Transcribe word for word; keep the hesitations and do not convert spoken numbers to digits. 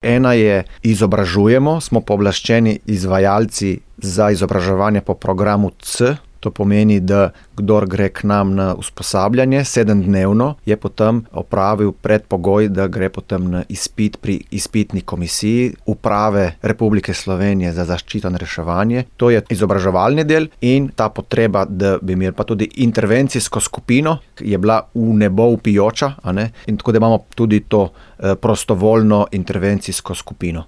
Ena je izobražujemo, smo pooblaščeni izvajalci za izobraževanje po programu C. To pomeni, da kdor gre k nam na usposabljanje sedemdnevno, je potem opravil predpogoj, da gre potem na izpit pri izpitni komisiji Uprave Republike Slovenije za zaščito in reševanje. To je izobraževalni del in ta potreba, da bi imeli pa tudi intervencijsko skupino, je bila v nebo vpijoča, a ne? In tako da imamo tudi to prostovoljno intervencijsko skupino.